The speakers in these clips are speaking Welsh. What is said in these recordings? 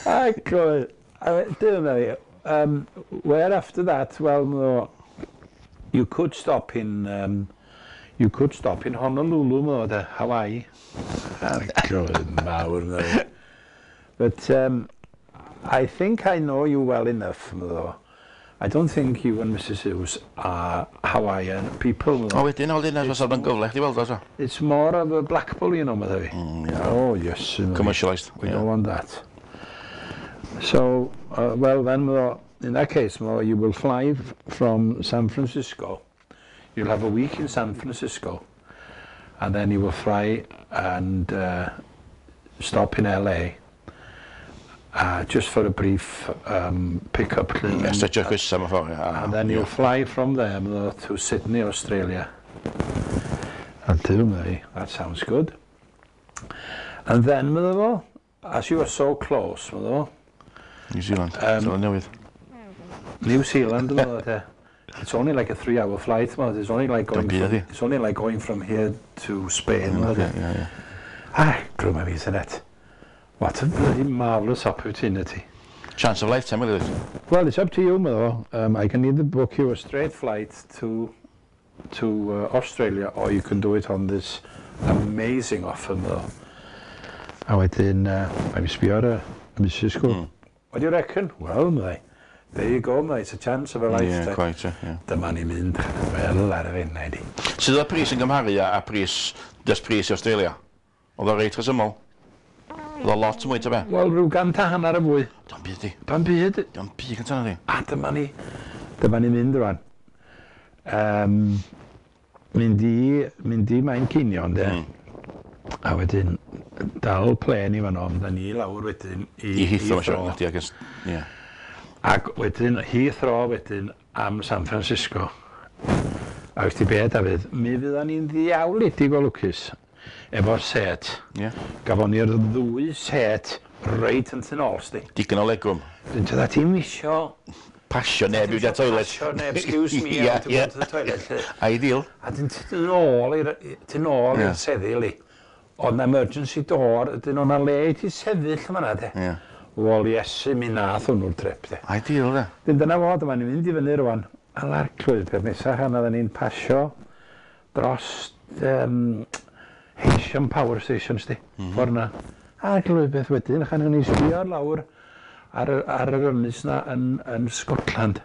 Ac dim fi. Where after that, well, no, you could stop in Honolulu, mo, de, Hawaii. Arglwydd mawr, no. But I think I know you well enough, mo. I don't think you and Mrs Hughes are Hawaiian people. O wedyn, o wedyn, os oedd yn gyfle chdi weld o, so. It's more of a Blackpool, medda fi. Yeah. Oh, yes. Commercialised. We don't want that. So, well then, well, in that case, well, you will fly from San Francisco. You'll have a week in San Francisco, and then you will fly and stop in LA just for a brief pick-up. Stretch coesa mewn ffordd. And then you'll fly from there to Sydney, Australia. And do me, that sounds good. And then, medda fo, as you are so close, medda fo, New Zealand. Zealand Newydd. New Zealand, medda fo, te. It's only like a 3-hour flight, medda. It's only like going from here to Spain, medda. Yeah. Ah, grwma fi, synet. What a bloody marvellous opportunity. Chance of a lifetime, really. Well, it's up to you, medda fo. I can either book you a straight flight to Australia, or you can do it on this amazing offer, medda fo. A wedyn, mae'n sbio ar y Mrs. Cook. What do you reckon? Well, medda, there you go, medda, it's a chance of a lifetime. Yeah, quite, yeah. Dyma ni'n mynd, wel, ar y fenna i di. Sydd o'r pris yn gymharu a pris, just pris i Australia? Oedd o reit rhesymol? Oedd o lot mwy, ta be? Wel, rhyw 150 y fwy. Do'n byd di. Do'n byd. Do'n byd gyntaf na di. A dyma ni mynd rwan. Mynd i Manceinion, de. A wedyn, dal plen i fan o'n, da ni lawr wedyn i Heathrow, Heathrow. Ie, yeah. Ac wedyn, Heathrow wedyn am San Francisco. A wyt ti be, Dafydd, mi fydda ni'n ddiawledig o lwcus efo'r set. Yeah. Gafon ni'r ddwy set reit yn tyn ôl, sti. Digon o legroom. Dyn ti ddim isio pasio neb i fynd i'r toilet. Pasio neb, excuse me, I want to go to the toilet. Ideal. A dyn ti'n ôl i'r seddi, li. Oedd na emergency door, ydyn o'na le i ti sefyll yma na, de. Yeah. Wel, Iesu, mi nath hwnnw'r trip, de. Ideal, de. Dyn dyna fo, dyma ni'n mynd i fyny rwan. A'r clwydd, peth nesaf, a oedden ni'n pasio dros Heysham Power Station, sti, ffordd na. A'r clwydd beth wedyn, chan ni'n sbio lawr ar yr ynys na yn Scotland.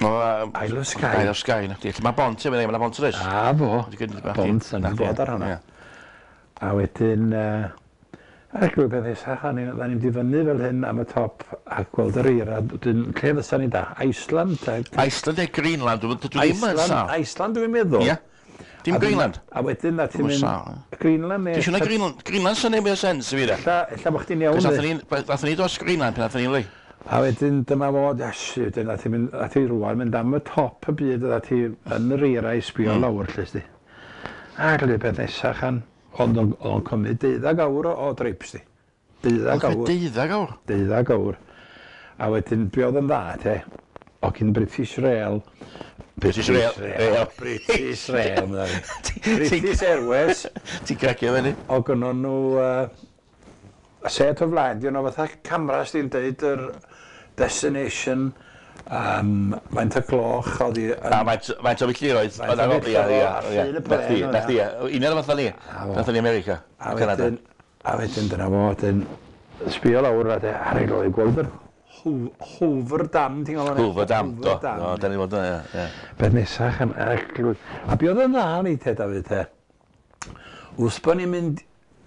Isle of Skye. Isle of Skye, na. Mae bont efo, mae bont oes. A fo, bont, yn bod ar hwnna. A wedyn, a'r clwydd beth nesaf, chan ni'n mynd i fyny fel hyn am y top a gweld yr eira. Wedyn, lle fysa ni da? Iceland? Iceland neu Greenland, dwi ddim yn sâl. Iceland dwi'n meddwl. Ie. Dim Greenland. A wedyn, na ti'n mynd Greenland neu Dwi'n siŵr na Greenland, Greenland sy'n neud mwy o sens i fi de. Ella bod chdi'n iawn. Nathon ni dros Greenland pan nathon ni li. A wedyn dyma fo, Iesu, wedyn nath ti rwan mynd am y top y byd, a ti yn yr eira i sbio lawr, lle sti. A glyw beth nesaf chan, ond o'n cymryd 12 awr o drip, sti. 12 awr. 12 awr? 12 awr. A wedyn, be oedd yn dda, te, o gyn British Rail, British Rail. British Rail, British Airways. Ti'n cracio fyny? O gynnon nhw set o flaen, di nhw fatha cameras di'n deud yr destination, faint o gloch oedd i A faint o filltiroedd. Faint o filltiroedd, a llun y plen. Na chdi, un o'r fatha ni. Nathon ni America, Canada. A wedyn dyna fo, wedyn sbio lawr a ar ei loi gweld yr Hoover Dam, ti'n gwybod? Hoover Dam, do. Do, da ni fod yna, ie. Beth nesaf, a be oedd yn dda ni te, Dafydd, te? Wrth bod ni'n mynd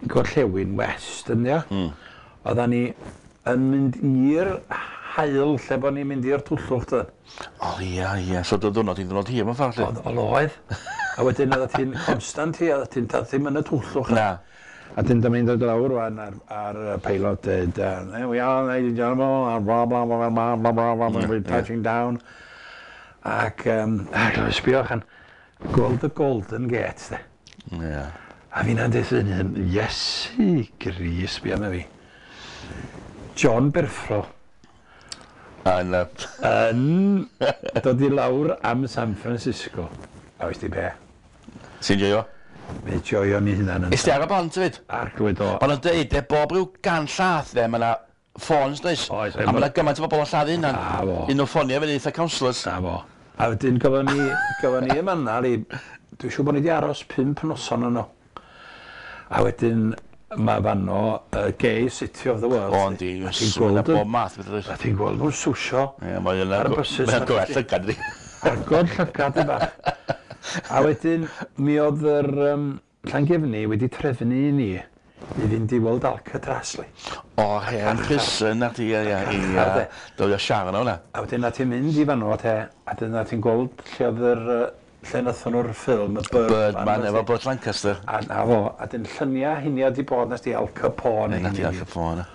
gorllewin west, yn ia? Oeddan ni yn mynd i'r haul lle bod ni'n mynd i'r twllwch, dydyn. O, ia, ia. So, dy ddwrnod i'n ddwrnod hir mewn ffordd, lle? Oedd, oedd. A wedyn oedd ti'n constant hi, oedd ti'n ddim yn y twllwch. Na. A dyn dyma ni'n dod lawr rwan ar y pilot dweud, there we are, ladies and gentlemen, and blah, blah, blah, blah, blah, blah, blah, we're touching down. Ac, sbio chan, gweld y Golden Gate, de. Yeah. A fi'n deud yn hyn, Iesu Gris, sbio am fi. John Berffro. Yn dod i lawr am San Francisco. A veist ti be? Ti'n joio? Mi joio ni hunan yn Is ti ar y bont hefyd? Arglwydd o. Maen nhw'n dweud, e, bob rhyw 100 llath, de, mae yna ffôns, does? Oes. A mae yna gymaint o bobl yn lladdu hynna. Na fo. Un o ffonio fyny eitha counsellors. Na fo. A wedyn gafon ni yma yna, dwi'n siŵr bod ni wedi aros 5 noson yno. A wedyn mae fanno gay city of the world. O, yndi. A ti'n Mae yna gweld bob math beth oes. A ti'n gweld nhw'n swsio. Ie, mae yna... Ar y buses. Mae'n gorau llygad, ydi. Agor llygad i bach. A wedyn, mi oedd yr Llangefni wedi trefnu i ni i fynd i weld Alcatraz, li. O, hen prison, na ti, ie, ie, ie. Dod o siarad o hwnna. A wedyn na ti'n mynd i fanno, te, a wedyn na ti'n gweld lle oedd yr, lle nathon nhw'r ffilm, y Birdman. Birdman efo Burt Lancaster. A na fo, a dyn lluniau hynny di bod nes di Al Capone. Na ti Al Capone.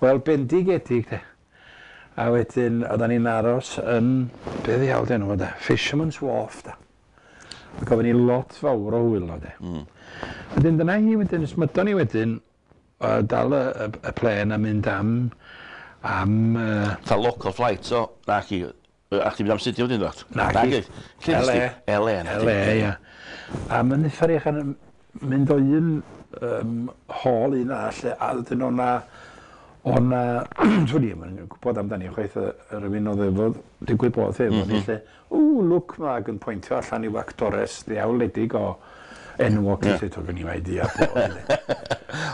Wel, bendigedig, te. A wedyn, oedden ni'n aros yn, be ddiawl di enw fo, de? Fisherman's Wharf, de. A gofyn ni lot fawr o hwyl o, de. Wedyn, dyna hi wedyn, smydon ni wedyn, dal y plen a mynd am Ta local flight, so, na chi, a chdi mynd am Sydney wedyn, dweud? Na chi. Lle LA. LA. na LA, ia. A mae'n uffar eich yn mynd o un hall un arall, a wedyn o'na, dwi'n i'm yn gwybod amdani chwaith, y rhywun oedd efo, digwydd bod efo ni, lle, ww, look, ma, ac yn pwyntio allan i'w actores ddiawledig o enwog, yeah. Lle, gen i idea bod.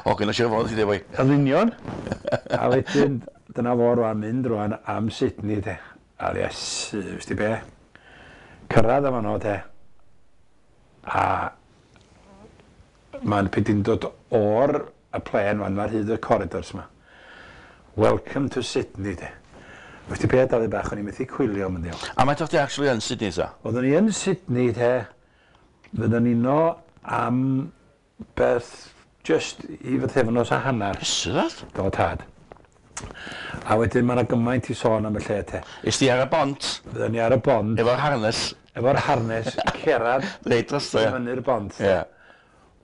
O, gyda siarad fod, ti dweud, Yn union. A wedyn, dyna fo rwan, mynd rwan am Sydney, te. A iesu, wst ti be? Cyrraedd am fanno, te. A mae'n peth dod o'r y plen fan, mae'r hyd y corridors yma. Welcome to Sydney, te. Wst ti be, Dafydd bach, o'n i methu cwylio mynd iawn. A mae'n ti actually yn Sydney, ta? Oeddwn ni yn Sydney, te. Fyddwn ni no am beth just i fythefnos a hanner. Iesu, dad? Do, tad. A wedyn mae yna gymaint i sôn am y lle, te. Is di ar y bont, Fyddwn ni ar y bont, efo'r harness, efo'r harness, cerad reit drosto, ie. fyny'r bont. Ie.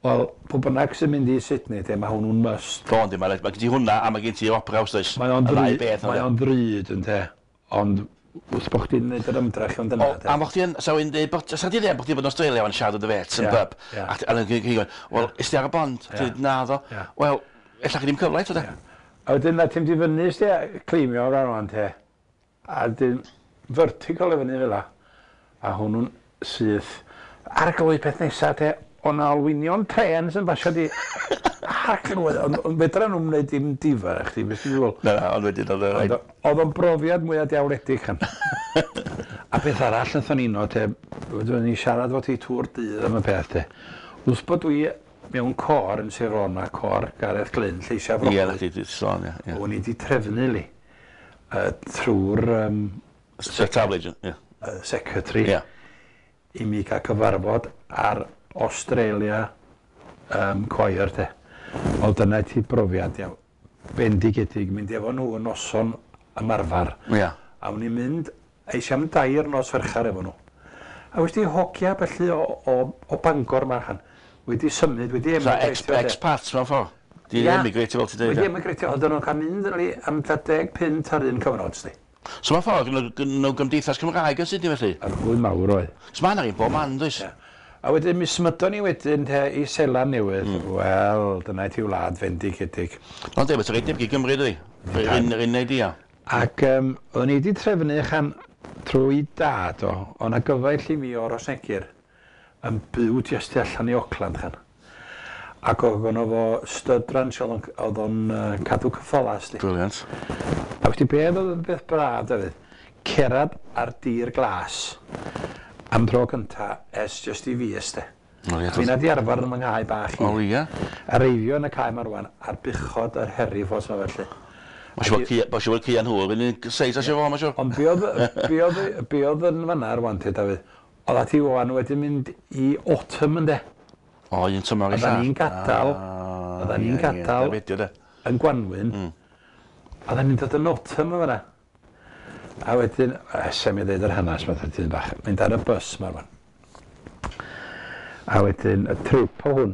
Wel, pwy bynnag sy'n mynd i Sydney, te, mae hwnnw'n must. Do, yndi, mae gen ti hwnna, a mae gen ti Opera House, does? Mae o'n Y ddau ddrud, beth, mae o'n ddrud, ynte. Ond wrth bod chdi'n neud yr ymdrech ond dyna, O, te. a mo chdi yn, sa i'n deud, sa chdi'n deud bod chdi'n bod yn Australia yn siarad o dy fet yn Ie, pub, ie. a yn gweud, wel, is di ar y bond? Ti'n dweud, na ddo. Ie. Wel, ella chi ddim cyfle eto, de. A wedyn na ti'n di fyny, sti, cleimio o'r rhan te. A dyn vertical i fyny fel la. A hwnnw'n syth. Arglwydd peth nesa te, o'na olwynion tren sy'n basio di. Arglwydd, ond fedra nhw'n wneud dim difar i chdi, beth ti'n feddwl? Na, na, ond wedyn oedd y Ond Oedd o'n brofiad mwyaf diawledig chan. A beth arall nathon ni no, te, wedyn ni siarad fo ti trwy'r dydd am y peth, te. Wrth bod dwi mewn cor yn Sir Fôn, ma cor Gareth Glyn, Lleisiau Ie, na Frocli. chdi, di sôn, ie. ie. O'n i wedi trefnu li trwy'r Y travel agent, ie. secretary Ie. i mi gael cyfarfod ar Australia choir te. Wel dyna ti brofiad iawn. Bendigedig mynd efo nhw yn noson ymarfer. Ie. A o'n i'n mynd eisiau am dair nos ferchar efo nhw. A wedi hogia felly o Bangor ma chan. Wedi symud, wedi So, emigratio. te. expats mewn ffordd. Di Ie. emigratio fel ti'n dweud. Wedi ie. emigratio, oedden nhw'n cael mynd yn am tua 10 punt ar un cyfnod, sti. So mewn ffordd, gynno nhw gymdeithas Cymraeg yn Sydney felly. Arglwydd mawr oedd. So mae yna un bob man, does? A wedyn mi symudon ni wedyn te i Seland Newydd. Wel, dyna ti wlad fendigedig. Ond e, beth reit debyg i Gymru, dydi? Yr un idea. Ac oedden ni wedi trefnu chan trwy dad o, o'na gyfaill i mi o'r Rhosneigr yn byw jyst tu allan i Auckland chan. Ac oedd gynno fo stud ranch oedd o'n cadw ceffyla, sti. Brilliant. A wedi beth oedd yn beth braf, Dafydd? Cerad ar dir glas am dro cynta ers jyst i fi, ysde. O, ie, Fi'n di arfer yn fy nghae bach i. O, ie. A reifio yn y cae ma rwan, a'r buchod a'r Herefords ma felly. Mae'n siŵr bod Cian Hwyl yn un seis a siŵr fo, mae'n siŵr. Ond be oedd yn fanna rwan te, Dafydd? Oedd ati wan wedi mynd i autumn ynde, O, un tymor i Oeddan ni'n gadael, oeddan ni'n gadael. Ie, de. Yn Gwanwyn. Oeddan ni'n dod yn autumn yn fanna. A wedyn, sem i ddeud yr hanes, mae'n dyn bach, mynd ar y bus ma rwan. A wedyn, y trip o hwn,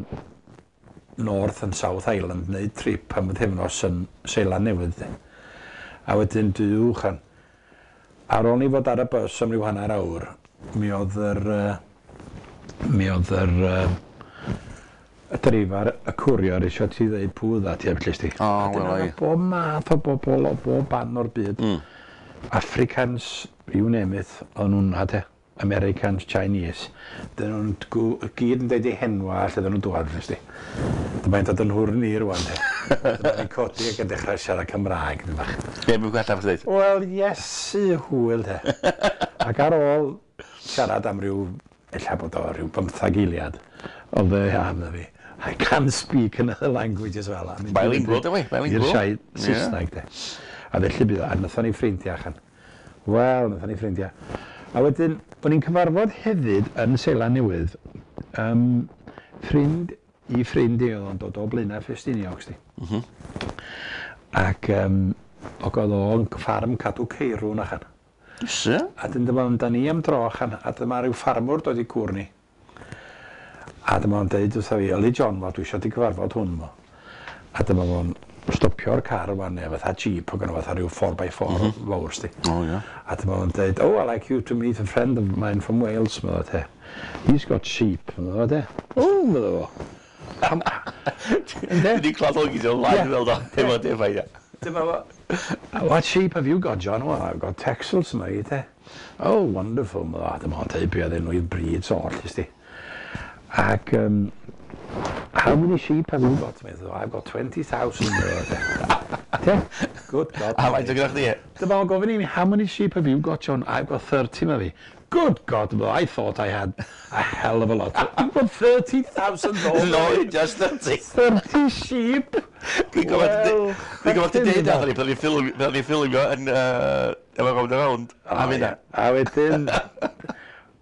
North and South Island, neu trip am y pythefnos yn Seland Newydd. De. A wedyn, duw chan. Ar ôl ni fod ar y bus am ryw hanner awr, mi oedd yr... mi oedd yr Y dreifar y courier isio ti ddeud pwy dda ti a felly sti. O, wel, ai. Bob math o bobl o bob ban o'r byd. Africans, you name it, o'n nhw'n na te. Americans, Chinese. Dyn nhw'n gyd yn deud eu henwa lle dyn nhw'n dŵad, nes di. Dyma i'n dod yn hwrn i rwan, te. Dyma i'n codi ac yn dechrau siarad Cymraeg, dyn bach. Be mae'n gwella fod dweud? Wel, Iesu hwyl, te. Ac ar ôl siarad am ryw, ella bod o ryw 15 eiliad, oedd e, a na fi, "I can speak another language as well." A mynd Bilingual, dyw e, bilingual. I'r siaid Saesneg, de. A felly bydd o, a nathon ni ffrindiau allan. Wel, nathon ni ffrindiau. A wedyn, o'n i'n cyfarfod hefyd yn Seland Newydd, ffrind i ffrind i oedd o'n dod o Blaenau Ffestiniog, sti. Ac ac oedd o'n ffarm cadw ceirw yn allan. Ys A dyn dyma da ni am dro allan, a dyma rhyw ffarmwr dod i cwr ni. A dyma o'n deud wrtha fi, "Yli John, mo, dwi eisiau di cyfarfod hwn, mo." A dyma fo'n stopio'r car wan, neu fatha jeep, o gynno fatha rhyw 4x4 fawr, sti. O, ie. A dyma fo'n deud, "Oh, I'd like you to meet a friend of mine from Wales," medda te. "He's got sheep," medda te. "Oh," medda fo. Dwi wedi clywed o gyd o'n lain fel do, efo defaid, ia. Dyma fo, "What sheep have you got, John?" "Well, I've got Texels," mate. Eh? "Oh, wonderful." Medda. Dyma fo'n deud be oedd enw i'r breeds oll, ysdi. Ac, "How many sheep have you got?" Medda, "I've got 20,000." Medda te. Good God. A faint o gyda chdi? Dyma fo'n gofyn i mi, "How many sheep have you got, John?" "I've got 30," medda fi. "Good God, well, I thought I had a hell of a lot. You've got 30,000." No, just 30. 30 sheep? Dwi'n gwybod dwi'n gwybod ti'n deud ni, pan ni'n ffilmio yn efo Rownd a Rownd. A fyna. A wedyn,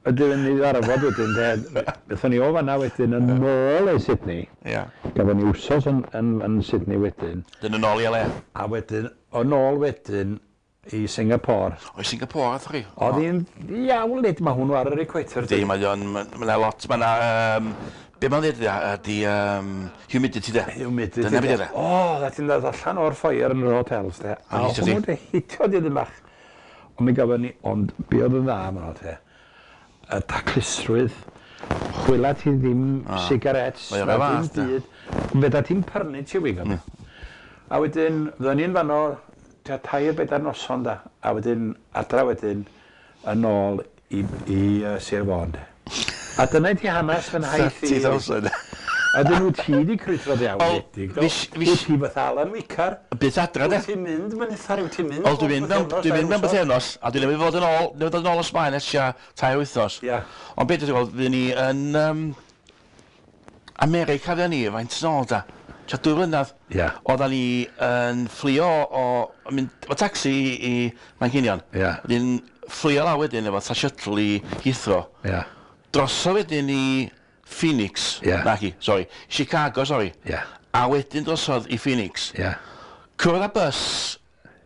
ydyn ni ddarfod wedyn, de, bethon ni o fanna wedyn yn ôl i Sydney. Gafon ni wsos yn Sydney wedyn. Dyn yn ôl i LA. A wedyn, yn ôl wedyn i Singapore. O, i Singapore, ath chi? Oedd hi'n iawn lyd, mae hwnnw ar yr equator. Di, mae o'n, mae 'na lot, mae 'na, be mae'n dweud ydi humidity de. Humidity. Dyna beth ydy. O, dda ti'n dod allan o'r ffoyer yn yr hotels, de. A hitio ti. hwnnw de hitio di ddim bach. Ond mi gafon ni, ond be oedd yn dda yma, te, y taclusrwydd, chwila ti ddim sigaret, Mae o'r na fath, dim byd. Fedra ti'n prynu chewing gum. A wedyn, fydden ni'n fanno, tua 3-4 noson da, a wedyn, adra wedyn, yn ôl i Sir Fôn. De. A dyna i ti hanes fy nhaith i. 30,000. A dyn nhw ti di crwydro ddiawl Wel, wledig, do? Wyt ti fatha Alan Wicar? Byth adra, de. Wyt ti'n mynd mynythar, wyt ti'n mynd? Wel, dwi'n mynd mewn bythefnos, a dwi'n newydd fod yn ôl, newydd fod yn ôl o Sbaen ers tua 3 wythnos. Ond beth dwi'n gweld, fydd ni yn America fydd ni, faint yn ôl da? Tua 2 flynedd. Oeddan ni yn fflio o, mynd, efo taxi i Manceinion. Wedyn fflio lawr wedyn efo ta shuttle i Heathrow. Drosodd wedyn i Phoenix. Naci, sorry. Chicago, sorry. A wedyn drosodd i Phoenix. Cwrdd â bus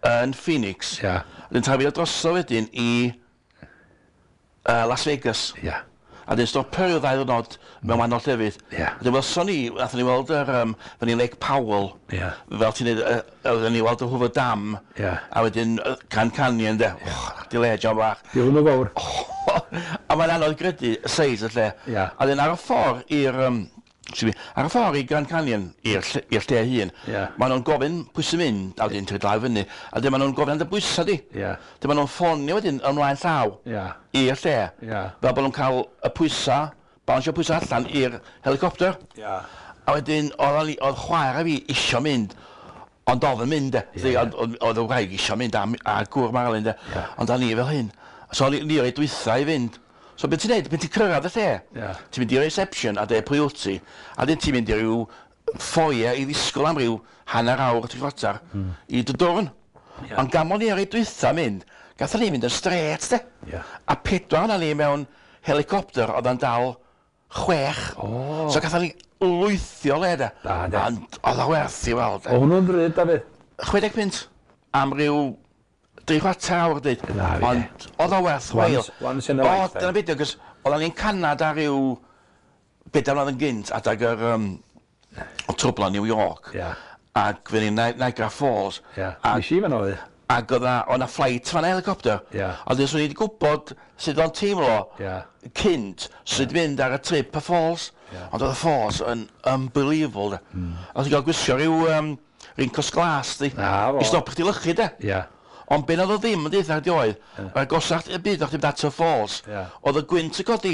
yn Phoenix. Wedyn trafio drosodd wedyn i Las Vegas. A dyn stopio ryw 2 ddwrnod mewn wahanol llefydd. Wedyn welson ni, nathon ni weld yr, fyny Lake Powell. Fel ti'n neud, oedden ni weld y Hoover Dam. A wedyn Grand Canyon, de. Oh, di le, John bach. Di hwnnw fawr. A mae'n anodd gredu y seis y lle. A wedyn ar y ffordd i'r, excuse me, ar y ffordd i Grand Canyon, i'r lle hun, maen nhw'n gofyn pwy sy'n mynd, a wedyn ti'n lawr fyny, a wedyn maen nhw'n gofyn am dy bwysa di. Wedyn maen nhw'n ffonio wedyn ymlaen llaw i'r lle, fel bod nhw'n cael y pwysa, balansio pwysa allan i'r helicopter. A wedyn, oedd chwaer a fi isio mynd, ond oedd yn mynd, de. Oedd y wraig isio mynd a gŵr Marilyn, de. Ond o'n ni fel hyn. So o'n ni o'i dwytha i fynd. So beth ti'n neud, beth ti'n cyrraedd y lle? Ti'n mynd i'r reception a deud pwy wyt ti, a wedyn ti'n mynd i ryw foyer i ddisgwyl am ryw hanner awr, tri chwarter, i dy dwrn. Ond gan bod ni ar ei dwytha mynd, gathon ni fynd yn straight, de. A pedwar yna ni mewn helicopter oedd yn dal chwech. So gathon ni lwythio le, de. Da, de. Ond oedd o werth i weld, de. O hwnnw'n ddrud, Dafydd. 60 punt am ryw 3/4 awr, dweud. Na, fi. Ond oedd o werth chweil. Once in a O, lifetime. dyna beth, cos oedden ni'n Canada ryw 4 mlynedd yn gynt, adag yr o trwbla New York. Ac fe ni'n Niagara Falls. Nes i fan oedd. Ac oedd na flight fan helicopter. Ond swn i wedi gwybod sut o'n teimlo cynt, swn i wedi mynd ar y trip y falls. Ond oedd y falls yn unbelievable. Oedd ti'n cael gwisgo rhyw rincos glas, di. I stop chdi lychu, de. Ond be oedd o ddim yn deitha chdi oedd, yr agosach y byd o'ch ti'n mynd at y falls, oedd y gwynt yn codi.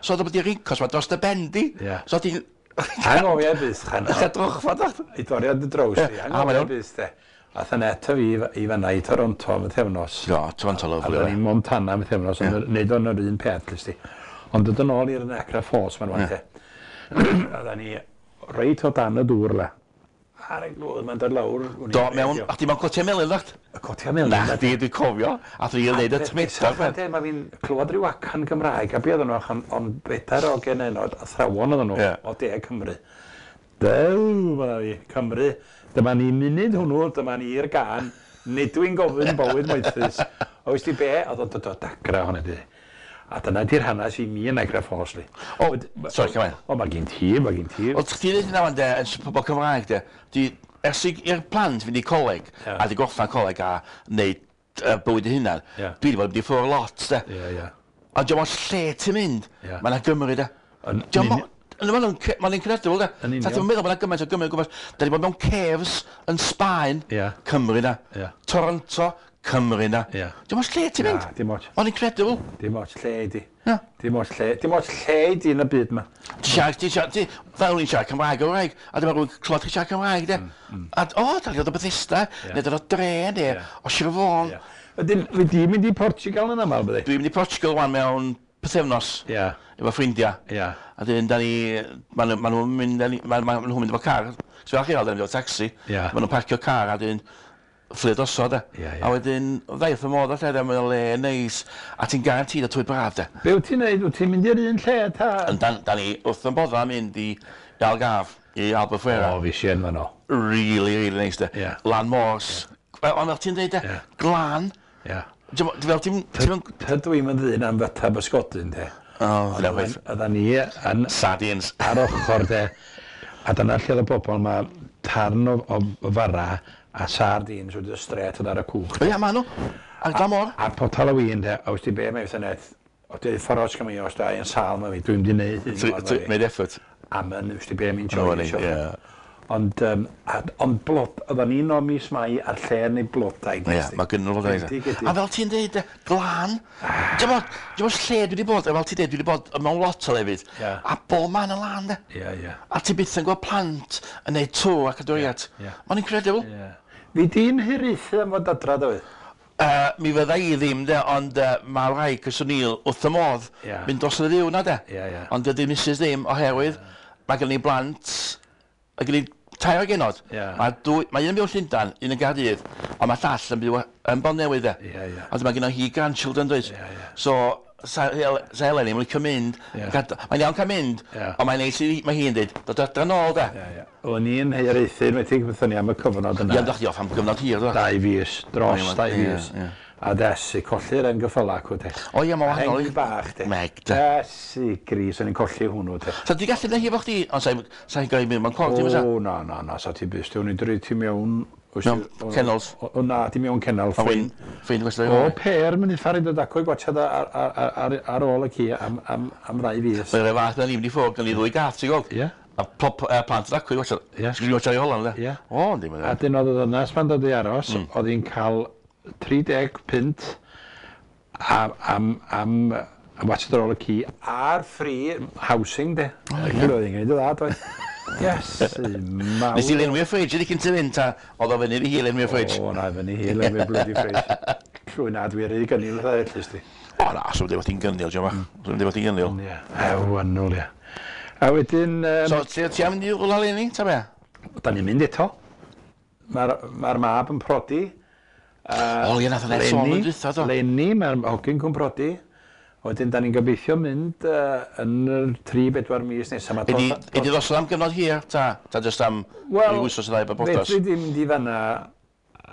So oedd o bod i rincos ma dros dy ben di. So ti'n... Anghofio byth, chan. Ych drochfa, da. I doriad y draws di. Anghofio byth, de. Ath yn eto fi i fanna i Toronto am ythefnos. Do, Toronto lovely. A ni'n Montana am ythefnos, ond neud o'n yr un peth, lys di. Ond dod yn ôl i'r Niagara Falls, ma'n wan, te. Oedden ni reit o dan y dŵr, le. Ar y glwyd, mae'n dod lawr. Do, mewn, a chdi mewn cotia melyn, ddacht? Y cotia melyn. Na, chdi, dwi'n cofio. A chdi yn neud y tymedar. Mae fi'n clywed rhyw acan Gymraeg, a be oedden nhw, ond bedair o genenod, athrawon oedden nhw, o De Cymru. Dew, mae fi, Cymru. Dyma ni munud hwnnw, dyma ni'r gan, nid dwi'n gofyn bywyd moethus. O, wys di be? Oedd o'n dod o dagra hwnna di. A dyna di'r hanes i mi yn Niagara Falls, li. O, sorry, come on. O, mae gen ti, mae gen ti. O, chdi dweud yna, de, yn pobl Cymraeg, de, di, ers i'r plant fynd i coleg, a di gorffan coleg a wneud bywyd eu hunan, dwi wedi bod yn mynd i ffwrdd lot, de. A diolch ots lle ti'n mynd, mae yna Gymru, de. Mae'n incredible, de. Ta ti'n meddwl bod yna gymaint o Gymru, gwybod. Da ni bod mewn caves yn Sbaen, Cymru na. Toronto, Cymru na. Dim ots lle ti'n mynd. Dim ots. Mae'n incredible. Dim ots lle i di. Dim ots lle. Dim ots lle i di yn y byd ma. Ti siarad, fel ni'n siarad Cymraeg o wraig, a dyma rhywun clywed chi siarad Cymraeg, de. A o, da ni dod o Bethesda, neu dod o Dre, neu o Sir Fôn. Wedyn, fy di mynd i Portugal yn aml, byddi? Dwi'n mynd i Portugal wan mewn pythefnos. Efo ffrindiau. A dyn, da ni, ma' nhw'n mynd, ma' nhw'n mynd efo car. So fel chi weld, efo taxi. Ma' nhw'n parcio car a dyn, fflio drosodd, de. A wedyn, ddaeth y modd o lle, de, mae'n le neis. A ti'n garantid o twy braf, de. Be wyt ti'n neud? Wyt ti'n mynd i'r un lle, ta? Da ni wrth yn bodda mynd i Algarve, i Albufeira. O, fi sien fan o. Really, really neis, de. Lan mors. Ond fel ti'n dweud, de, glan. Fel ti'n... Tydw i'm yn ddyn am fyta bysgodyn, de. Oedden ni yn sardines ar ochr de, a dyna lle oedd y bobl ma tarn o fara a sardines wedi y stret oedd ar y cwch. Ia, ma nhw, ar glan môr. A potel o win de, a wsti be mae wrth y net, o dweud ffordd os gymryd os da i'n sâl ma fi, dwi'n mynd i neud hyn. Made effort. A ma'n wsti be mi'n joio. Ond, ond blod, oedden ni'n o mis Mai ar lle neu blodau. Ie, mae gynnu blodau. A fel ti'n deud, glan. Dim ots lle dwi wedi bod, fel ti'n deud, dwi wedi bod mewn lot o lefydd. A bob man yn lan, de. A ti byth yn gweld plant yn neud tŵ ac adoriad. Mae'n incredible. Fi di'n hiraethu am fod adra, Dafydd? Mi fydda i ddim, de, ond mae rhai Chris O'Neill wrth y modd mynd dros y ddiw na, de. Ond dydy Mrs ddim, oherwydd mae gen i blant, mae gen i tair o genod. Mae un yn byw yn Llundain, un yn Gaerdydd, ond mae llall yn byw yn Bontnewydd, de. Ond mae gen hi grandchildren, does? So, sa Helen yn licio mynd, mae'n iawn cael mynd, ond mae'n neis i, mae hi'n dweud, dod adra nôl, de. O'n i'n hiraethu, unwaith i bethau ni am y cyfnod yna. Ie, dach chi off am gyfnod hir, do? 2 fis, dros 2 fis. A desu, colli'r hen gyffyla acw, de. O ie, mae'n wahanol. Hen bach, de. Meg, de. Desu, gris, o'n i'n colli hwnnw, de. Sa di gallu neud hi efo chdi, ond sa'n gael mynd mewn cor, ti'n fysa? O, na, na, na, sa ti byst, o'n i'n dweud ti mewn... Mewn kennels? O, na, di mewn kennel. Ffein, gwestiwn. O, per, mynd i ffaru dod acw i gwachad ar ôl y ci am ddau fis. Mae'n rhaid fath, ni'n mynd i ffwrdd, gan i ddwy gath, ti'n gweld? Ie. A plant yn acw i gwachad. Ie. Sgwn i gwachad i Holland, de? Ie. O, yndi, mae'n A dyn oedd y ddynas ma'n dod i aros, oedd hi'n cael 30 punt am watchad ar ôl y ci a'r free housing, de. O, ie. Oedd hi'n gwneud o dda, doedd. Yes, mawr. Nes i lenwi'r ffridge, ydy cyn ti fynd, ta? Oedd o fyny i hi lenwi'r ffridge? O, na, fyny hi lenwi'r bloody fridge. Llwy na, dwi rhy gynnil fatha ellys di. O, na, so wedi bod hi'n gynnil, diolch bach. So wedi bod hi'n gynnil. Ie, ew, annwl, ie. A wedyn... So, ti am mynd i rwla leni, ta be? Da ni'n mynd eto. Mae'r mab yn prodi. O, ie, nath o'n sôn yn dwytha, do. Leni, mae'r hogyn cwn prodi. Wedyn, da ni'n gobeithio mynd yn yr 3-4 mis nesaf. Ydy ddosod am gyfnod hir, ta? Ta jyst am ryw wythnos o ddau bod bodas? Wel, fedri di mynd i fanna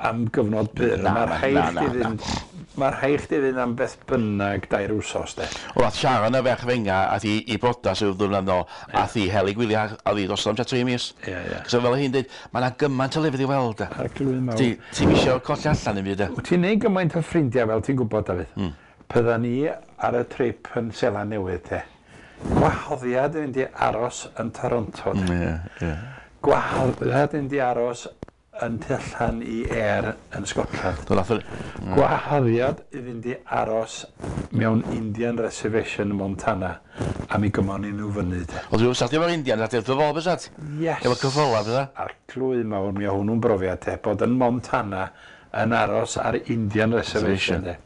am gyfnod byr. Mae'r rhaid chdi fynd Mae rhaid chdi fynd am beth bynnag 2 wsos, de. Wel, ath Sharon y ferch fenga, ath i i brodas yw ddwrnod nôl, ath i hel i gwyliau, a ddi dros am tua 3 mis. Ie, ie. So fel hi'n dweud, mae yna gymaint o lefydd i weld, de. Arglwydd mawr. Ti, ti'n isio colli allan yn byd, de. Wyt ti'n neud gymaint o ffrindiau fel ti'n gwybod, Dafydd. Pydda ni ar y trip yn Seland Newydd, te. Gwahoddiad i fynd i aros yn Toronto, de. Ie, ie. Gwahoddiad i fynd i aros yn tu allan i Ayr yn Scotland. Do nath Gwahoddiad i fynd i aros mewn Indian Reservation yn Montana a mi gymon ni nhw fyny, de. Ond dwi'n sat efo'r Indian, nath wrth y fodd, bysat? Yes. Efo cyffola, bydda? Arglwydd mawr, mi o hwnnw'n brofiad, te, bod yn Montana yn aros ar Indian Reservation, de.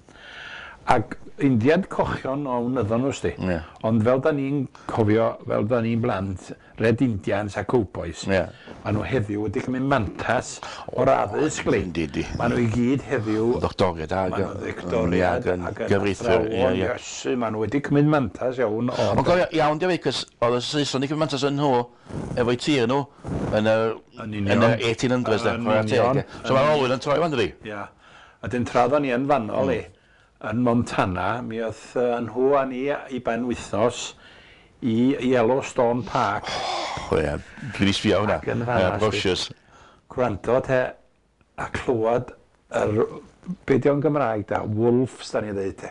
Ac Indiad cochion o wnyddon nhw, sti. Ie. Ond fel da ni'n cofio, fel da ni'n blant, Red Indians a Cowboys, Ie. ma' nhw heddiw wedi cymryd mantas o'r addysg, li. Yndi, yndi. Ma' nhw i gyd heddiw... Ddoctoriad ag... Ma' nhw'n ddoctoriad yn ac yn gyfreithiwr. Ie, athrawon, ie. Iesu, ma' nhw wedi cymryd mantas iawn o'r... Ond cofio, iawn di cos oedd y Saeson wedi cymryd mantas yn nhw, efo'u tir nhw, yn y, Yn union. yn y 1800s, de, Yn chwarae teg, union. ie. So mae'r olwyn yn troi fan, dydi? Ia. A dyn tra oeddan ni yn fanno, li, yn Montana, mi oedd nhw a ni i ben wythnos i Yellowstone Park. O ie, dwi wedi sbio hwnna. Ac yn fan'na, Ie, brochures. Gwrando te a clywed yr, be di o'n Gymraeg da, wolves da ni ddeud te.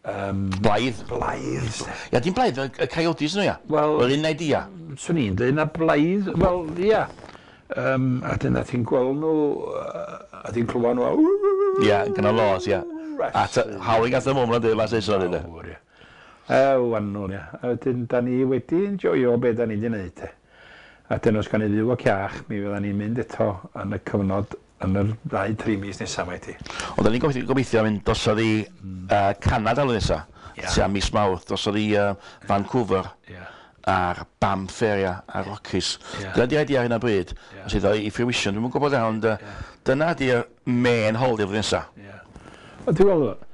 Blaidd. Blaidd. te. Ia, dim blaidd, y coyotes nhw, ia. Wel- Yr un idea. Swn i'n dweud na blaidd, wel, ia. A dyna ti'n gweld nhw, a ti'n clywed nhw, a... Ia, gyda laws, ia. A howling at the moment, dweud, mae'n Saeson, dweud. Mawr, ie. Ew, annwl, ia. A wedyn, da ni wedi enjoyo be da ni wedi wneud, te. A dyn os gan i fyw ac iach, mi fydda ni'n mynd eto yn y cyfnod, yn yr 2-3 mis nesaf, mae ti. Ond da ni'n gobeithio mynd drosodd i Canada blwyddyn nesa. Ia. Tua mis Mawrth, drosodd i Vancouver. Ia. A'r Banff area, a'r Rockies. Ia. Dyna di'r idea ar hyn o bryd. Ia. Os iddo i fruition, dwi'm yn gwybod iawn, ond dyna di'r main holiday flwyddyn nesa. Ia. Ond ti'n gweld,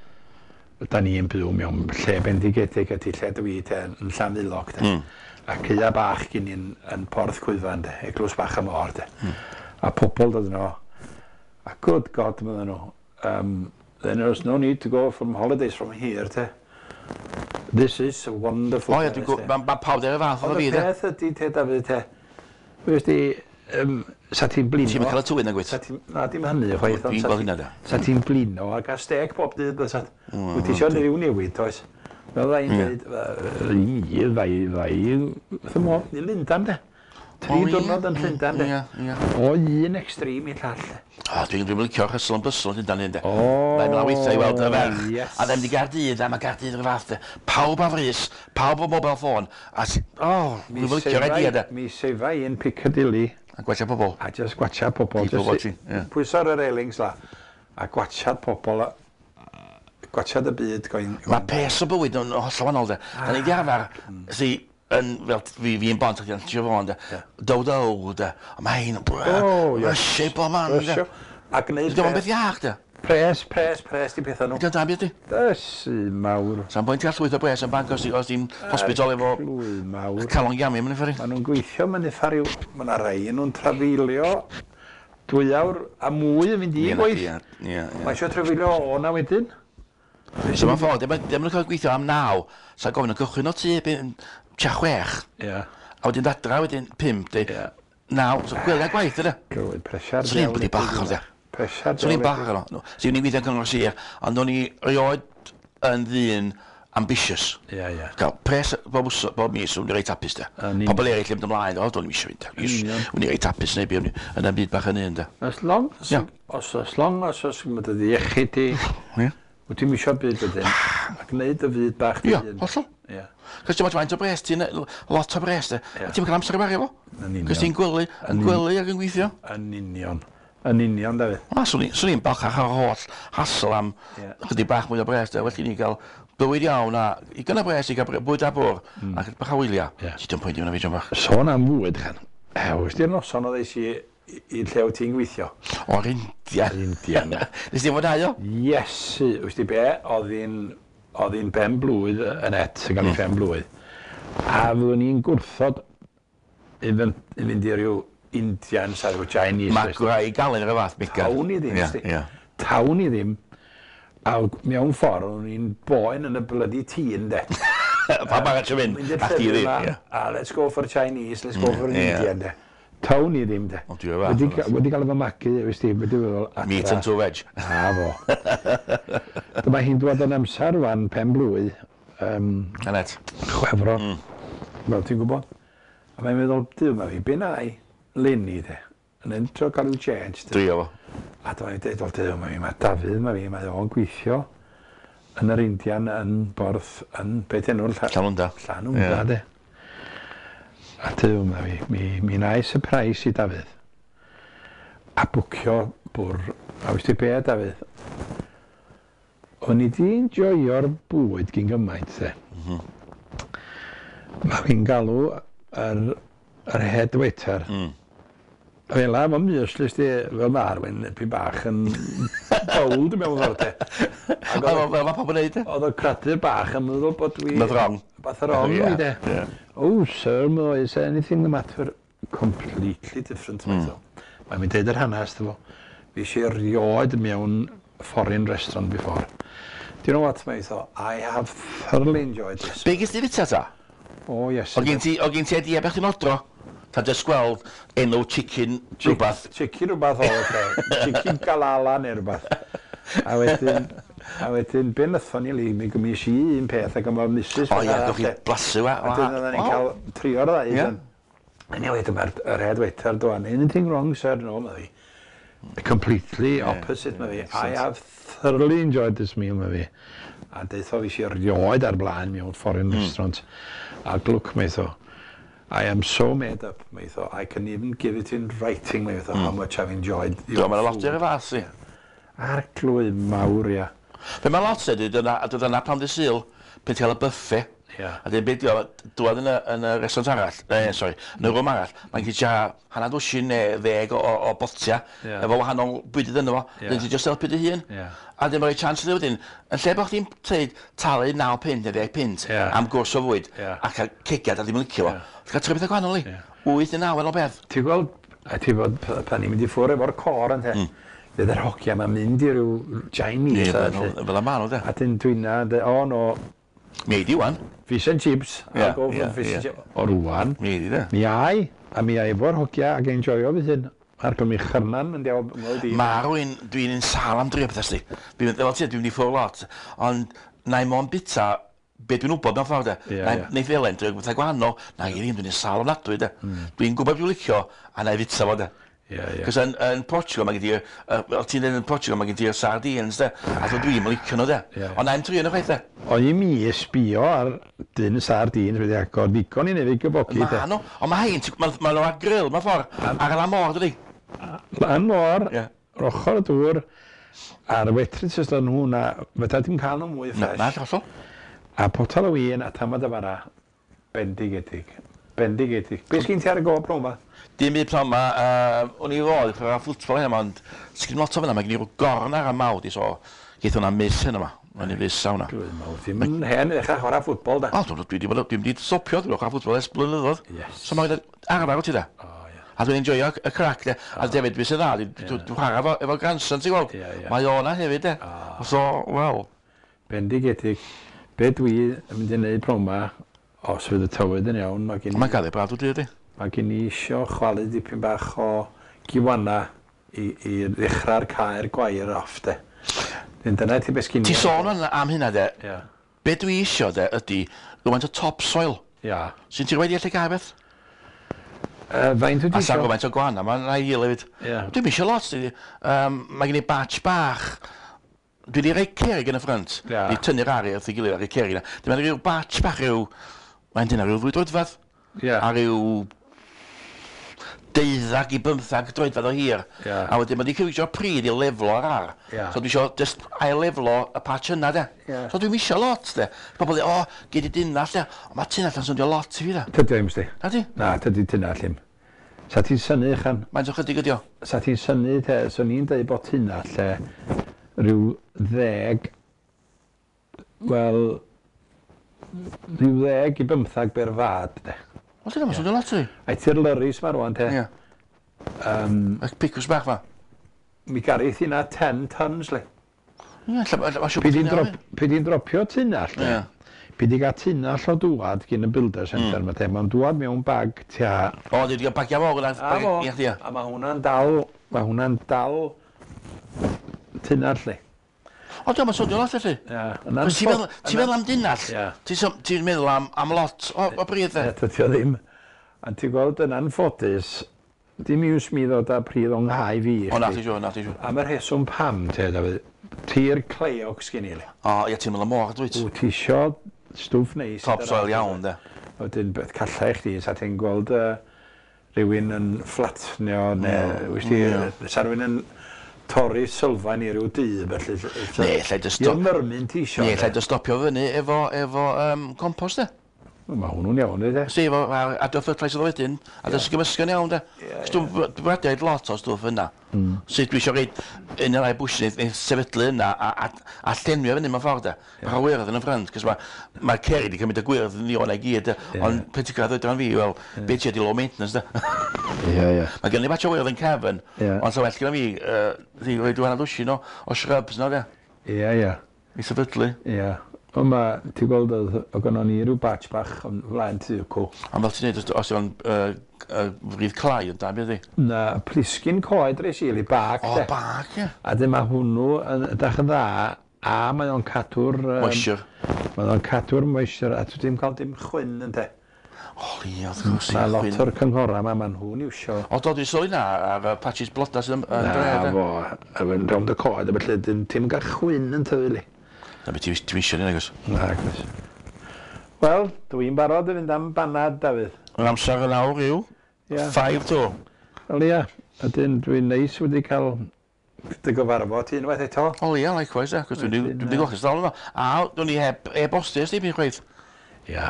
da ni'n byw mewn lle bendigedig ydy lle dwi te, yn Llanfaelog te. A caea bach gyn ni'n yn Porth Cwyfan te, eglwys bach y môr te. A pobl dod yno, a good God mydden nhw, then there's no need to go from holidays from here te. This is a wonderful O ia, dwi'n place, te. gwybod, mae pawb der y fath Ond o y fi, de. peth ydy te, Dafydd te, wnes di, sa ti'n blino... Ti'm yn cael y tywyn nag wyt? Sa ti'n, na, dim hynny chwaith. ond Dwi'n sa gweld ti- hynna, de. Sa ti'n blino a gael steg bob dydd, bysa. Wyt ti isio rhyw newid, oes? Fel dda i'n dweud, i, ddau, ddau, wrth y modd, i Lundan, de. 3 O, ie, diwrnod yn Llundan, de. Ie, ie. O un extreme i llall. O, dwi'n licio'r hustle and bustle yn Llundain hyn, de. O, Mae'n mynd weithiau i weld y ferch. yes. A ddim di Gaerdydd, a mae Gaerdydd o'r fath, de. Pawb ar frys, pawb o mobile phone. A ti, o, dwi'n licio'r idea, de. Mi sefa i yn Piccadilly A gwella pobl. a just gwatcha pobl. People jyst watching, ie. Pwyso ar y railings la, a gwatchad pobl, a gwatchad y byd going... Mae pes o bywyd yn hollol wahanol, de. Da ni di arfer, si, yn, fel fi'n bont, ac yn Siobhan, de. Dow dow, de. A mae hi'n, Oh, yes. rysio bob man, de. Rysio. A gwneud Dydy o'n beth iach, de. Pres, pres, pres, di pethau nhw. Dydy o'n da byd, di. Dysu mawr. Sa'n pwynt gael llwyth o bres yn banc os ti'n hospital efo Llwy mawr. calon gamu, mae'n uffar i. Maen nhw'n gweithio, mae'n uffar i'w... Mae yna rai nhw'n trafeilio 2 awr a mwy yn mynd i gwaith. Ie, ie, ie. Mae eisiau trafeilio o na wedyn. So mae'n ffordd, dim yn cael gweithio am 9, sa'n gofyn yn cychwyn o tŷ, tua 6, Ie. a wedyn adra wedyn 5, di, Ie. 9, so gwely a gwaith, yna. Gywir, presiar. Swn i'n blydi bach o'r de. Presiar. Swn i'n bach o'r no. Swn i'n gweithio yn cyngor sir, ond o'n i rioed yn ddyn ambitious. Ie, ie. Cael pres bob, bob mis, o'n i reit hapus, de. Yn union. Pobl eraill yn mynd ymlaen, o, do'n i'm eisiau fynd, de. Union. O'n i reit hapus neu beth, yn y byd bach yn un, de. As long as, Ie. os, as long as os mae dy iechyd di, Ie. wyt ti'n misio byd wedyn, a gwneud y fyd bach dy Ie, hun. hollol. Ie. Cos ti'n faint o bres, ti'n lot o bres, de. Ie. A ti'n cael amser i wario fo. Yn union. Cos ti'n gwely, yn gwely ac yn gweithio. Yn union. Yn union, Dafydd. Na, swn i'n balchach o'r holl hassle am Ie. chydig bach mwy o bres, de. Well i ni gael bywyd iawn a i gynna bres i gael bwyd a bwr a chydig bach o wyliau. Ie. Ti dwi'n poeni hwnna fi, John bach. Sôn am fwyd, chan. Ew, di'r noson oedd eis i i lle wyt ti'n gweithio? O'r India. Yr India, na. Nes ti fwynhau o? Iesu, wyt ti be, oedd hi'n ben blwydd yn et, yn cael ei phen blwydd. A fyddwn i'n gwrthod i fynd i ryw Indian, sa ryw Chinese. Mae gwraig galen yr fath, Megan. Tawn i ddim, Ie, sti. ie. Tawn i ddim. A mewn ffordd, o'n i'n boen yn y bloody tîn, de. Pa barad ti'n mynd? Mynd i'r A chdi llefydd ddim, 'ma, ie. a let's go for Chinese, let's go for an Indian, de. Tawn i ddim, de. Ond dwi'n fath, Wedi, ond. wedi cael fy magu, wys ti, wedi feddwl, adra. Meat and two veg. A fo. Dyma hi'n dod yn amser wan, pen blwy, Anet. Chwefror. Fel ti'n gwybod. A mae'n meddwl, Duw, mae fi, be na i, leni, de. Yn entro cael i'w change, de. Drio fo. A dyma fi'n dweud, wel, Duw, mae fi, mae Dafydd, mae fi, mae o'n gweithio yn yr Indian, yn Borth, yn, beth enw'r Llanwnda. Llanwnda, Ie. de. A Duw, mae fi, mi na i surprise i Dafydd. A bwcio bwr, a wys ti be, Dafydd? O'n i di enjoyo'r bwyd gyn gymaint, de. Mae fi'n galw yr head waiter. Fel la, mae'n muesli, sti, fel mae Arwyn, ipyn bach yn bold mewn ffordd, de. Ac Fel oedd mae pawb yn neud, e. oedd y cradur bach yn meddwl bod dwi... Nothing wrong. Bath wrong, Ie, yeah, de. ie. Oh, sir, mo, is there anything the matter? Completely different, mm. Mae'n mynd deud yr hanes, dy fo. Fi eisiau erioed mewn foreign restaurant before. Do you know what, mate? I have thoroughly enjoyed this. Be gys ti fita ta? Oh, yes. O gen ti idea beth chi'n odro? Ta just gweld enw chicken rhywbeth. Chicken rhywbeth o, de. Chicken galala neu rhywbeth. A wedyn, be nathon ni li, mi gymis i un peth ac yma Mrs. O ia, gewch chi blasu wa. A wedyn oedden ni'n cael trio'r ddau. Ie. Yeah. Anyway, dyma'r yr head waiter dwan. Anything wrong, sir? No, mae fi. Completely opposite, mae fi. I have thoroughly enjoyed this meal, mae fi. A deutho fi si erioed ar blaen mewn foreign restaurant. A glwc, mae tho. I am so made up, mae tho. I can even give it in writing, mae tho, how much I've enjoyed your Dwi'n meddwl lot food. i'r fath i. Arglwydd mawr, ia. Be mae lot ydy, dyna pam dy Sul, pe ti'n cael y buffet. Ie. A dyn beth yw, dwad yn y restaurant arall, sorry, yn y room arall, mae'n gyda hanner dwsin neu 10 o botia, Ie. efo wahanol bwydydd yno fo, Ie. dyn ti'n just helpu dy hun. Ie. A dyn mae'n rhoi chance iddi wedyn, yn lle bod chdi'n teud talu 9 punt neu 10 punt Ie. am gwrs o fwyd, Ie. a cael cegiad a ddim yn licio fo, Ie. ti'n cael trio bethau gwahanol i. Ie. 8 neu 9 yn o beth. Ti'n gweld, a ti'n bod, pan ni'n mynd i ffwrdd efo'r cor yn te, fydd yr hogia ma'n mynd i ryw Chinese. a Fel felly. fel y ma nhw, de. A dyn dwi'n na, de, o no, Mi ei di wan. fish and chips, Ie, I'll go for ie, fish and ie. chips. O rwan, Mi ei di, de. mi ai, a mi ai efo'r hogia ac enjoyo fy hun. A'r mi chyrnan yn diawl ymweld i. Mae rwy'n, dwi'n un sâl am drio pethau sdi. Dwi'n, fel ti, dwi'n mynd i ffwrdd lot, ond na i mond bita be dwi'n wybod mewn ffordd de. Ie, Na ie. Neith Elen drio pethau gwahanol, na i ddim, dwi'n un sâl ofnadwy de. Dwi'n gwybod dwi'n licio, a na i fita fo de. Ie, ie. Cos yn Portugal mae gen ti, fel ti'n dweud yn Portugal mae gen ti'r sardines de, a dwi dwi'n licio nhw de. Ie. Ond na i'm trio nhw chwaith de. O'n i mi sbio ar dyn sardines wedi agor ddigon i neu' gyfogi Ma de. nhw, ond mae hein, ma nhw ar grill, mewn ffordd, ar y lan môr dydi. Lan môr, Ie. yr ochr y dŵr, a'r waitresses o'n nhw na, fydda dim cael nhw mwy Na, ffres. na, hollol. A potel o win a tamad o fara, bendigedig. Bendigedig. Be sgyn ti ar y go bron ma? Dim byd pnawn ma, o'n i fod i chwarae ffwtbol hyn yma, ond sgyn lot o fyna, mae gen i ryw gorn ar y mawd i, so geith hwnna miss hyn yma. Mae'n i fysa hwnna. Dwi'n meddwl, ti'n mynd hen i ddechrau chwarae ffwtbol da. O, dwi wedi bod, dwi'n wedi stopio, dwi'n chwarae ffwtbol ers blynyddoedd. Yes. So mae'n arfer o ti da. O, ie. A dwi'n enjoyo y crac, de. A hefyd, beth sy'n dda, dwi'n chwarae efo grandson, ti'n gweld? Ie, ie. Mae o na hefyd, de. So, wel, Bendigedig. Be dwi yn mynd i wneud bron ma, os fydd y tywydd yn iawn, mae gen i, mae'n gael ei braf, dwi'n dweud, mae gen i isio chwalu dipyn bach o giwana i ddechrau'r caer gwair off, de. Dyn dyna ti beth sgyn i. Ti sôn am hynna, de. Ie. Be dwi isio, de, ydy rhywfaint o topsoil. Ia. Sy'n ti'n rhaid i allu gael beth? Faint wyt ti A sa'n isio? gymaint o gwana, mae'n rhaid i hefyd. Ie. Dwi'm isio lot, dwi. Mae gen i batch bach. Dwi wedi rhoi cerig yn y ffrynt. Ie. Di tynnu'r ari wrth ei gilydd ar y cerig yna. Dwi'n meddwl rhyw batch bach rhyw... Mae'n dyna rhyw 2 droedfedd. Ie. A rhyw 12 i 15 droedfedd o hir. Ie. A wedyn mae wedi cywio pryd i leflo ar ar. Ie. So dwi isio just ail leflo y patch yna de. Ie. So dwi'm isio lot de. Pobl dweud, o, gei di dynnall de. Ond mae tynnall yn swnio lot i fi de. Tydi o ddim, sti. Na di? Na, tydi tyna llym. Sa ti'n synnu, chan? Mae'n o chydig ydi o. Sa ti'n synnu, te, swn i'n deud bod hynna lle rhyw 10, wel, rhyw 10 i 15 berfad, de. Wel, dyna, mae'n swnio lot i fi. Ai ti'r lyrys ma rwan, te. Ie. Y picws bach fa. Mi garith hynna 10 tons, le. Ie, ella, ma' siŵr bod ti'n iawn. Pwy di'n dropio tunall, de? Pwy di gael tunall o dŵad gyn y Builder Centre, mm. ma mae'n dŵad mewn bag tua. O, di gael bagia fawr yna. A fo, a mae hwnna'n dal, mae hwnna'n dal tunall, li. O, diolch, mae'n swnio lot, felly. Ie. Ti'n meddwl am dunall? Ti'n meddwl am lot o bridd, de? Ie, dydy o ddim. A ti'n gweld yn anffodus, dim iws mi ddod â pridd o'n nghae fi i O, na, ti siŵr, na, ti siŵr. Am y rheswm pam, te, Dafydd, tir clayog sgyn i, li. O, ie, ti'n meddwl y môr, dwyt? Wyt ti isio stwff neis. Top soil iawn, de. Wedyn, beth calla i chdi, sa ti'n gweld rhywun yn fflatnio, neu, wyt ti, sa rhywun yn torri sylfaen i ryw dŷ, felly. Neu, lle dy stop... I'r myrmyn ti isio. Neu, lle dy stopio fyny efo compost, de. Mae hwnnw'n iawn, de. Si, efo, adio fertilizer wedyn, a dys gymysgu'n iawn, de. Cos dwi'n bwriadu lot o stwff yna. Sut dwi eisiau reid un o'r rai bwysig neu sefydlu yna a llenwi o fyny mewn ffordd, de. Bach o wyrdd yn y ffrynt, cos mae'r cerig wedi cymryd y gwyrdd yn iawn i gyd, de. Ond pe ti'n cael oedran fi, wel, be ti ydi low maintenance, de. Ie, ie. Mae gen i batch o wyrdd yn cefn, ond sa well gyda fi, i roi dwy hanner dwsin o shrubs yna, de. Ie, ie. I sefydlu. Ie. Ond mae, ti'n gweld, oedd gynnon ni rhyw batch bach yn flaen tŷ cw. Ond fel ti'n neud, os yw'n rydd clai yn da, beth ydi? Na, plisgyn coed reis i, bag, O, bag, ie. A dyn mae hwnnw yn edrych yn dda, a mae o'n cadw'r... Moisture. Mae o'n cadw'r moisture, a dwi ddim cael dim chwyn yn de. O, li, wrth gwrs. Mae lot o'r cynghorau yma, maen nhw'n iwsio. O, do, dwi'n sylwi na ar y patches bloda sydd yn dre, Na, fo, a fe'n rownd y coed, a felly, ti'n cael chwyn yn tyfu, li. Na beth ti'n eisiau ni, nagos? Na, agos. Wel, dwi'n barod i fynd am banad, Dafydd. Yr amser yn awr yw? 5 to. Wel, ia. Ydyn, dwi'n neis wedi cael dy gyfarfod ti unwaith eto. O, ia, likewise, ia. Cos dwi'n wedi gweld ystafell yma. A, dwi'n i heb e-bostio, ysdi, byd chweith. Ia.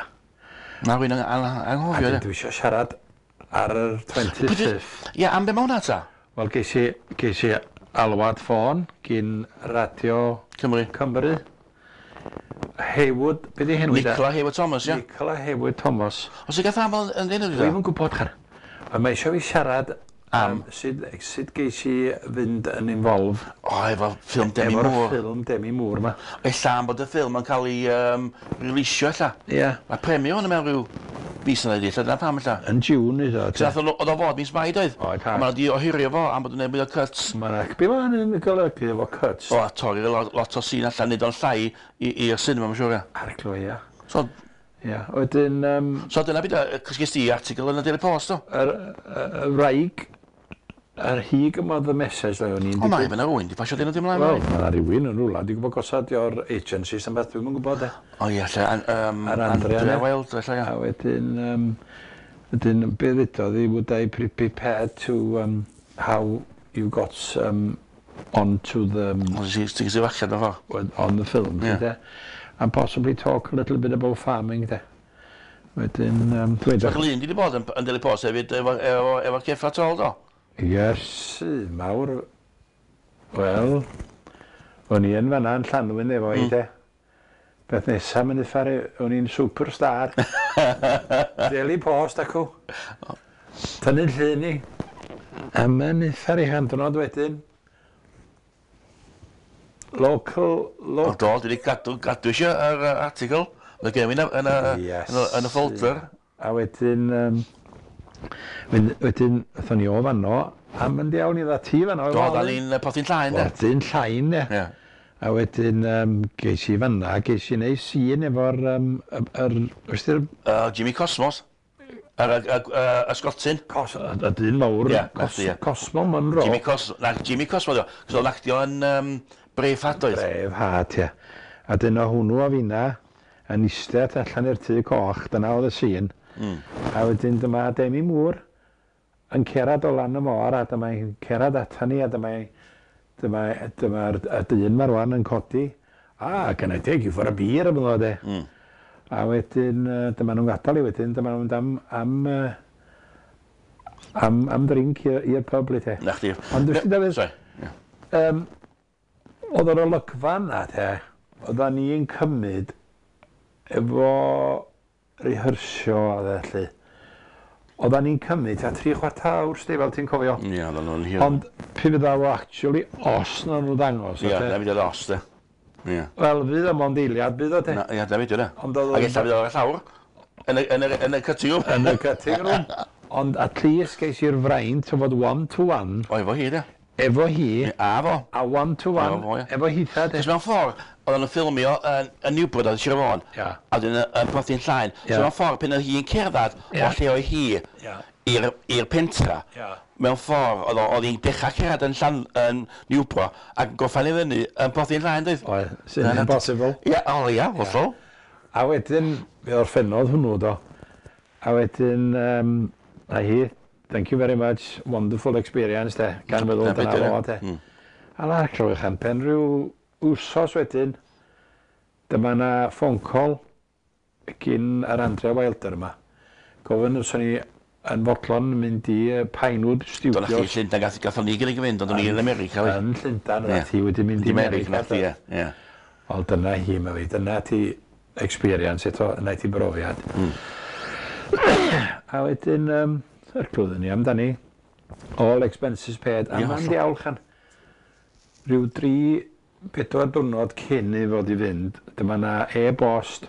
Na, rwy'n anghofio, ia. Dwi eisiau siarad ar yr 25th. Ia, am be ma hwnna ta? Wel, ges i alwad ffôn gyn Radio Cymru. Cymru. Heywood, be di henw Nicola Heywood Thomas, ia. Nicola Heywood Thomas. Os i gath aml yn enw Dwi'm yn gwybod, char. Ond mae eisiau fi siarad am sut geis i fynd yn involved. O, efo ffilm Demi Moore. Efo'r ffilm Demi Moore ma. Ella am bod y ffilm yn cael ei releasio, ella. Ia. Mae premio hwn mewn rhyw mis yna ydi, ella dyna pam ella. Yn June, iddo. Cos oedd o fod mis Mai, doedd? Oedd, ha. Ond maen nhw wedi ohirio fo am bod yn gwneud mwy o cuts. Mae'n ac, be mae hynny'n golygu efo cuts? O, a torri lot o scene allan, neud o'n llai i'r cinema, mae'n siŵr, ia. Arglwydd, ia. So, Ia, wedyn... So dyna byd, cos ges ti article yn y Daily Post, do? Yr wraig, yr hi gymodd y message, ddo, o'n i'n... O, mae yna rhywun, di pasio dyn nhw dim mlaen. Wel, mae yna rhywun yn rhywle, dwi'n gwybod gosod o'r agencies, am beth dwi'n gwybod, e. O ie, lle, Yr Andrea Wild, lle, ia. A wedyn, wedyn, be ddudodd hi, would I be prepared to, how you got onto the... O, ti'n gysylltu allan o ffordd. On the film, yeah. And possibly talk a little bit about farming, de. Wedyn, dweud... So, Glyn di bod yn Daily Post hefyd efo ceffa tol, do? Yes, mawr. Wel, o'n i yn fanna yn Llanwyn efo i, de. Beth nesaf, mynd i ffarau, o'n i'n superstar. Daily Post, acw. Tynnu'n llun i. A mae'n uffar i chandnod wedyn. Local... O do, dwi wedi gadw eisiau yr article. Mae gen i yn y folder. A wedyn, wedyn, aethon ni o fanno, a mynd iawn i dda ti fanno. Do, da ni'n Porthyn Llaen, de. Porthyn Llaen, de. A wedyn, ges i fanna, ges i neud sîn efo'r... Jimmy Cosmos. Y Sgotyn. Y dyn mawr, Cosmo Monroe. Jimmy Cosmo, na, Jimmy Cosmo, dio. Cos oedd actio yn Braveheart oedd. Braveheart, ie. A dyna hwnnw a finna yn eistedd allan i'r tŷ coch, dyna oedd y sîn. A wedyn dyma Demi Moore yn cerad o lan y môr, a dyma'n cerad ata ni, a dyma'r dyn ma rwan yn codi. A, can I take you for a beer, am ddod e. A wedyn, dyma nhw'n gadael i wedyn, dyma nhw'n mynd am drink i'r pub, le te. Na chdi. Ond dwi'n Dafydd, oedd yr olygfa yna, te, oeddan ni'n cymryd efo rehearsio a felly. Oeddan ni'n cymryd ta 3/4 awr, sti, fel ti'n cofio. Ie, oeddan nhw'n hir. Ond pe fydda fo actually os na nhw ddangos. Ie, na fydd os, de. Ie. Wel, fydd o mond eiliad, bydd o te. Na, ia, da fi, de. Ond oedd Ac ella fydd o ar y llawr. Yn y cutting room. Yn y cutting room. Ond at least geis i'r fraint o fod one to one O, efo hi, de. Efo hi A fo. A one to one Efo fo, ie. efo hitha de. Cos mewn ffordd, oedden nhw'n ffilmio yn Newport oedd Sir Fôn. A wedyn yn Porth Llaen. So mewn ffordd, pan oedd hi'n cerdded o lle oedd hi i'r pentra, mewn ffordd, oedd hi'n dechrau cerdded yn, Llan, yn Newport ac yn gorffen i fyny yn Porth Llaen, doedd? Oedd, sy'n impossible. Ia, o ia, hollol. A wedyn, fe orffennodd hwnnw do. A wedyn, a hi, "Thank you very much, wonderful experience" de, gan feddwl Dyna dyna be' 'di fo de. A la, clywch am pen rhyw wsos wedyn, dyma na phone call gyn yr Andrea Wilder yma. Gofyn os o'n i yn fodlon mynd i Pinewood Do na chdi Studios Llundain, gathon ni gynnig i fynd, ond o'n i yn America. Oedd. Yn Llundain, Ie. yeah. Ti wedi mynd i I America, America. na chdi, do. ie. Ie. Wel, dyna hi, mae fi. Dyna ti experience eto, yna ti brofiad. A wedyn, yr clywedden ni amdani, all expenses paid, a Ie, ma'n hollol. diawl chan. Rhyw 3, 4 diwrnod cyn i fod i fynd, dyma na e-bost.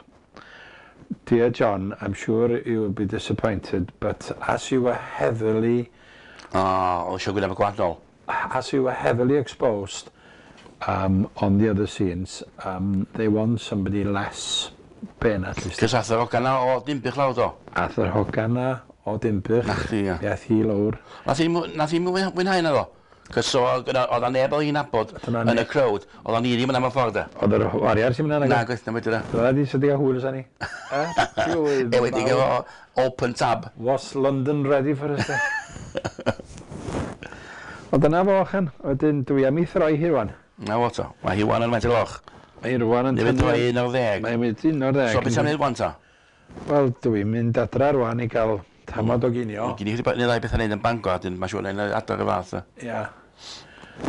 "Dear John, I'm sure you will be disappointed, but as you were heavily O, oedd eisiau gwneud gwahanol. as you were heavily exposed on the other scenes, they want somebody less ben at least." Cos ath yr hogan na o Dimbych lawr do. Ath yr hogan na o Dimbych. Na chdi, ie. Ath hi lawr. Nath hi mwynhau na ddo. Cos so, oedd na neb oedd hi'n nabod Dyna yn ni. y crowd. Oedd ni ddim yn am y ffordd de. Oedd yr wariar sy'n mynd Na, yna. gwaith na wedi da. Dyna di sydd i hwyl sa ni. Eh? E wedi efo open tab. Was London ready for us de? Ond dyna fo, chan. Wedyn, dwi am i throi hi rwan. Na fo to. Mae hi wan yn methu loch. Mae hi rwan yn Neu fynd droi 11. Mae'n mynd 11. So beth ti'n neud wan ta? Wel, dwi'n mynd adra rwan i gael tamad o ginio. Gyn i chdi neu ddau beth yn neud yn Bangor, a dyn mae'n siŵr yn adar y fath. e. Ia.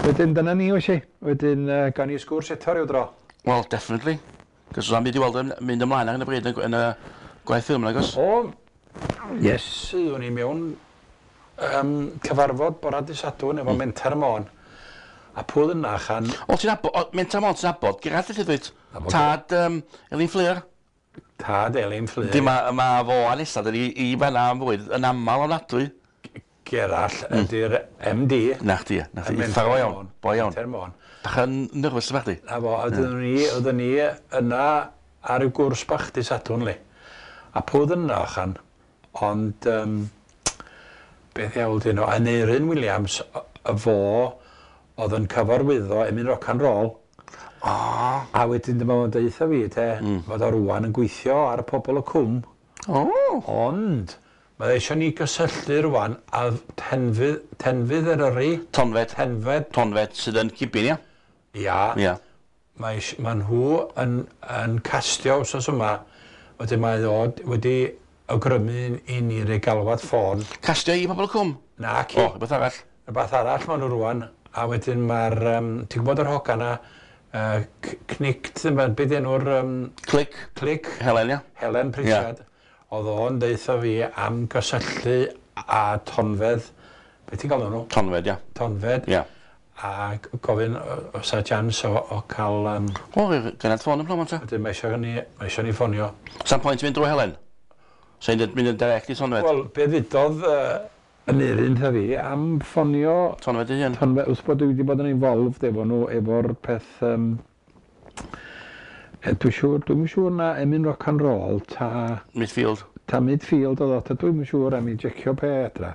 Wedyn, dyna ni, oes i. Wedyn, gawn ni sgwrs eto ryw dro. Well, definitely. Cos o'n byd i weld yn mynd ymlaen ar hyn o bryd yn y gwaith ffilm, nag oes? O, yes, o'n i mewn cyfarfod bora dy Sadwrn efo Menter Môn. A pwy oedd yna, chan? O, ti'n nabod, o, Menter Môn, ti'n nabod, Gerallt lle dweud? Nabod. Tad Elin Fflur. Tad Elin Fflur. Di ma, ma fo a Nesa, dyn ni i fanna am fwyd, yn aml ofnadwy. Gerallt ydy'r MD. Na chdi, na chdi. Menter Uffar o iawn, Môn. bo iawn. Menter Môn. Bach yn nervous bach di. Na fo, oedden ni yna ar y gwrs bach dy Sadwrn li. A pwy oedd yna, chan? Ond, beth iawn dyn nhw, Aneurin Williams, y fo oedd yn cyfarwyddo Emyn Rock and Roll. O, A wedyn dyma fo'n deutha fi, te, fod o rwan yn gweithio ar y Pobol y Cwm. o. Ond, mae eisiau ni gysylltu rwan a Tenfydd Eryri, Tonfed. Tenfed, Tonfed sydd yn Cibyn, ia? ia, Ia. mae nhw yn castio wsos yma, wedyn mae ddod wedi awgrymu i ni roi galwad ffôn. Castio i Pobol y Cwm? Na, ci. O, rhywbeth arall. Rhywbeth arall maen nhw rwan, a wedyn mae'r, ti'n gwybod yr hogan na, Cnict, be di enw'r Clic. Clic, Helen, ia? Helen Pritchard, oedd o'n deutha fi am gysylltu a Tonfedd, be ti'n galw nhw? Tonfed, ia. Tonfed, Ia. a gofyn os a chance o cael, O, gynnad ffôn yn plom, ta. wedyn mae eisiau ni ffonio. Sa'n pwynt mynd drwy Helen? Sa'n mynd yn direct i Tonfed? Wel, be ddudodd Aneurin tha fi am ffonio Tonfed ei hun. Tonfed, wrth bod dwi wedi bod yn involved efo nhw, efo'r peth, dwi'n siŵr na Emyn Rock and Roll ta, Midfield. ta Midfield oedd o, ta dwi'n siŵr am i jecio pe adra.